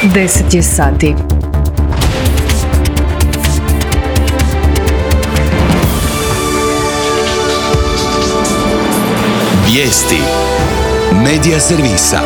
10 je sati. Vijesti Medija servisa.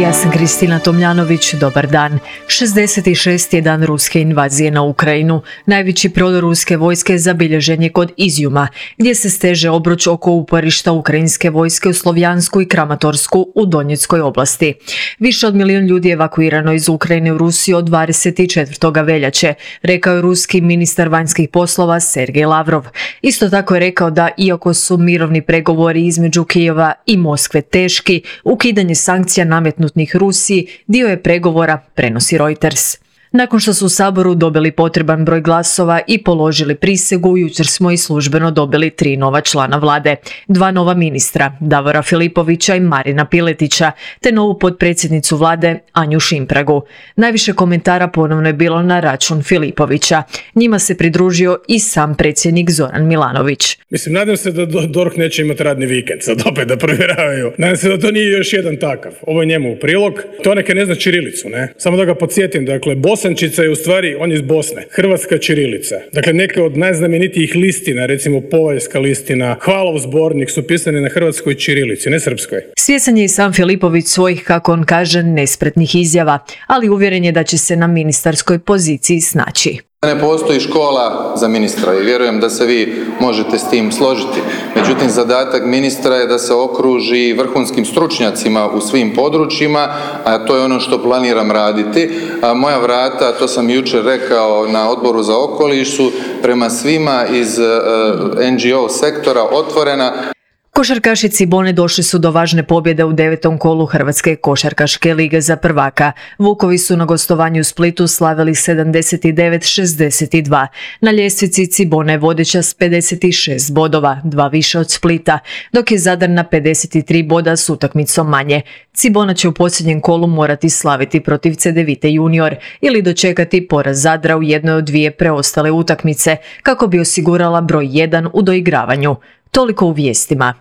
Ja sam Kristina Tomljanović, dobar dan. 66. je dan ruske invazije na Ukrajinu. Najveći prodor ruske vojske zabilježen je kod Izjuma, gdje se steže obruč oko uporišta ukrajinske vojske u Slovjansku i Kramatorsku u Donjeckoj oblasti. Više od 1 milijun ljudi je evakuirano iz Ukrajine u Rusiju od 24. veljače, rekao je ruski ministar vanjskih poslova Sergej Lavrov. Isto tako je rekao da, iako su mirovni pregovori između Kijeva i Moskve teški, ukidanje sankcija nametnutih Rusiji dio je pregovora, prenosi Reuters. Nakon što su u Saboru dobili potreban broj glasova i položili prisegu, jučer smo i službeno dobili 3 nova člana vlade. 2 nova ministra, Davora Filipovića i Marina Piletića, te novu potpredsjednicu vlade Anju Šimpragu. Najviše komentara ponovno je bilo na račun Filipovića. Njima se pridružio i sam predsjednik Zoran Milanović. Nadam se da DORH neće imati radni vikend, sad opet da provjeravaju. Nadam se da to nije još jedan takav. Ovo je njemu u prilog. To neke ne zna ćirilicu, ne? Samo da ga podsjetim, dakle, Bosančica je u stvari, on je iz Bosne, hrvatska ćirilica. Dakle, neke od najznamenitijih listina, recimo Povaljska listina, Hvalov zbornik su pisani na hrvatskoj ćirilici, ne srpskoj. Svjesan je i sam Filipović svojih, kako on kaže, nespretnih izjava, ali uvjeren je da će se na ministarskoj poziciji snaći. Ne postoji škola za ministra i vjerujem da se vi možete s tim složiti. Međutim, zadatak ministra je da se okruži vrhunskim stručnjacima u svim područjima, a to je ono što planiram raditi. Moja vrata, to sam jučer rekao na Odboru za okoliš, su prema svima iz NGO sektora otvorena. Košarkaši Cibone došli su do važne pobjede u 9. kolu Hrvatske košarkaške lige za prvaka. Vukovi su na gostovanju u Splitu slavili 79-62. Na ljestvici Cibona je vodeća s 56 bodova, 2 više od Splita, dok je Zadar na 53 boda s utakmicom manje. Cibona će u posljednjem kolu morati slaviti protiv Cedevite junior ili dočekati poraz Zadra u jednoj od 2 preostale utakmice kako bi osigurala broj 1 u doigravanju. Toliko u vijestima.